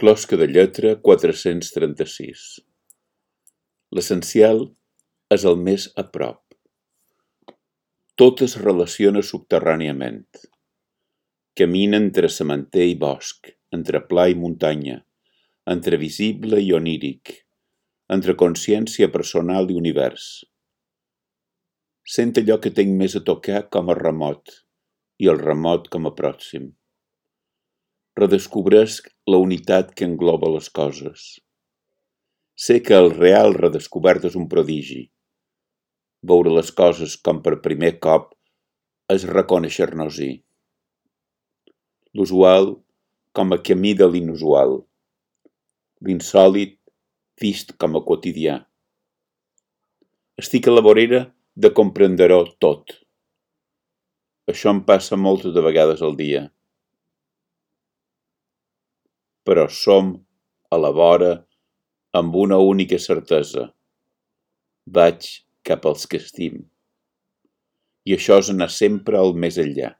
Closca de lletra 436. L'essencial és el més a prop. Tot es relaciona subterràniament. Camina entre sementer i bosc, entre pla i muntanya, entre visible i oníric, entre consciència personal i univers. Sent allò que tinc més a tocar com a remot i el remot com a pròxim. Redescobresc la unitat que engloba les coses. Sé que el real redescobert és un prodigi. Veure les coses com per primer cop és reconèixer-nos-hi. L'usual com a camí de l'inusual. L'insòlit vist com a quotidià. Estic a la vorera de comprendre-ho tot. Això em passa moltes de vegades al dia. Però som a la vora amb una única certesa. Vaig cap als que estim. I això és anar sempre al més enllà.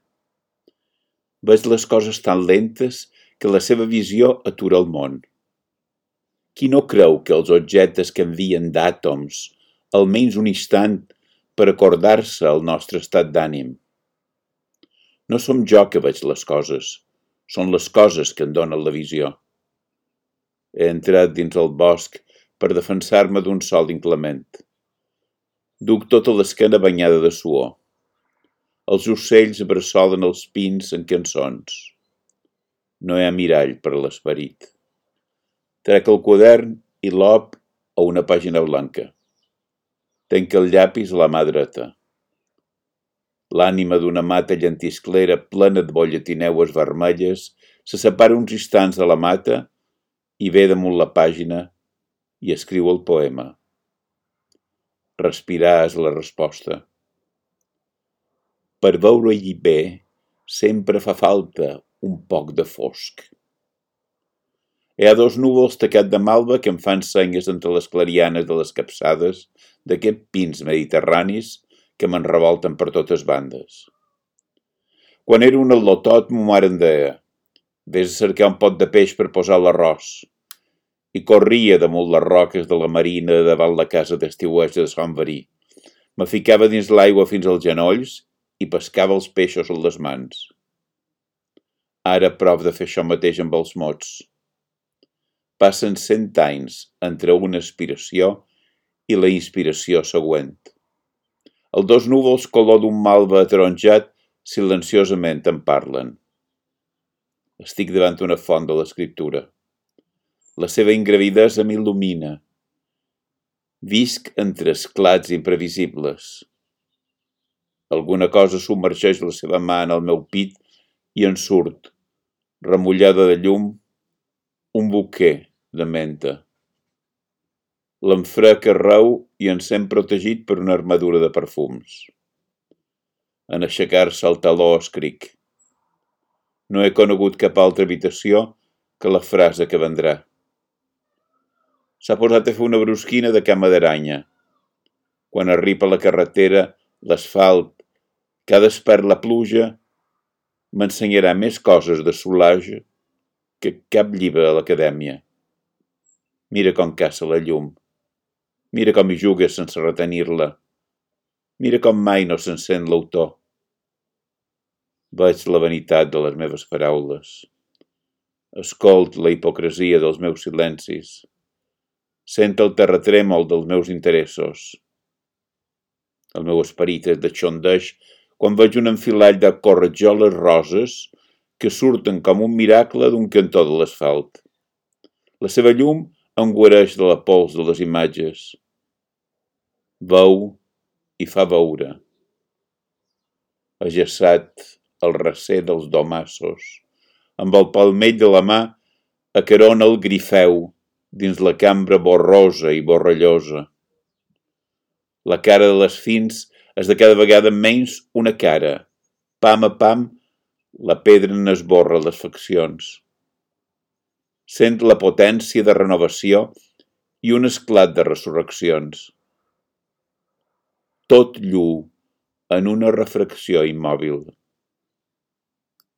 Veig les coses tan lentes que la seva visió atura el món. Qui no creu que els objectes canvien d'àtoms almenys un instant per acordar-se al nostre estat d'ànim? No som jo que veig les coses, són les coses que em donen la visió. He entrat dins el bosc per defensar-me d'un sol inclement. Duc tota l'esquena banyada de suor. Els ocells bressolen els pins en cançons. No hi ha mirall per a l'esperit. Trec el quadern i l'op a una pàgina blanca. Tenc el llapis a la mà dreta. L'ànima d'una mata llentisclera plena de bolletineues vermelles se separa uns instants de la mata i ve damunt la pàgina i escriu el poema. Respirar és la resposta. Per veure-hi bé sempre fa falta un poc de fosc. Hi ha dos núvols tacats de malva que em fan senyes entre les clarianes de les capçades d'aquests pins mediterranis que me'n revolten per totes bandes. Quan era un al·lotot, mo mare em deia: vés a cercar un pot de peix per posar l'arròs. I corria damunt les roques de la marina davant la casa d'estiueig de Sant Verí. Me ficava dins l'aigua fins als genolls i pescava els peixos amb les mans. Ara prov de fer això mateix amb els mots. Passen 100 anys entre una aspiració i la inspiració següent. Els dos núvols color d'un malva ataronjat silenciosament em parlen. Estic davant una font de l'escriptura. La seva ingravidesa m'il·lumina. Visc entre esclats imprevisibles. Alguna cosa submergeix la seva mà en el meu pit i en surt, remullada de llum, un buquer de menta. L'enfrec arreu i en sent protegit per una armadura de perfums. En aixecar-se el taló escric. No he conegut cap altra habitació que la frase que vendrà. S'ha posat a fer una brusquina de cama d'aranya. Quan arriba a la carretera, l'asfalt, que ha despert la pluja, m'ensenyarà més coses de solage que cap llibre a l'acadèmia. Mira com caça la llum. Mira com hi juga sense retenir-la. Mira com mai no s'encén l'autor. Veig la vanitat de les meves paraules. Escolt la hipocresia dels meus silencis. Sent el terratrèmol dels meus interessos. El meu esperit es deixondeix quan veig un enfilall de corretjoles roses que surten com un miracle d'un cantó de l'asfalt. La seva llum em guareix de la pols de les imatges. Veu i fa veure. Ajaçat al recer dels domassos, amb el palmell de la mà acarona el grifeu dins la cambra borrosa i borrellosa. La cara de les fins és de cada vegada menys una cara. Pam a pam, la pedra n'esborra les faccions. Sent la potència de renovació i un esclat de resurreccions. Tot lluu en una refracció immòbil.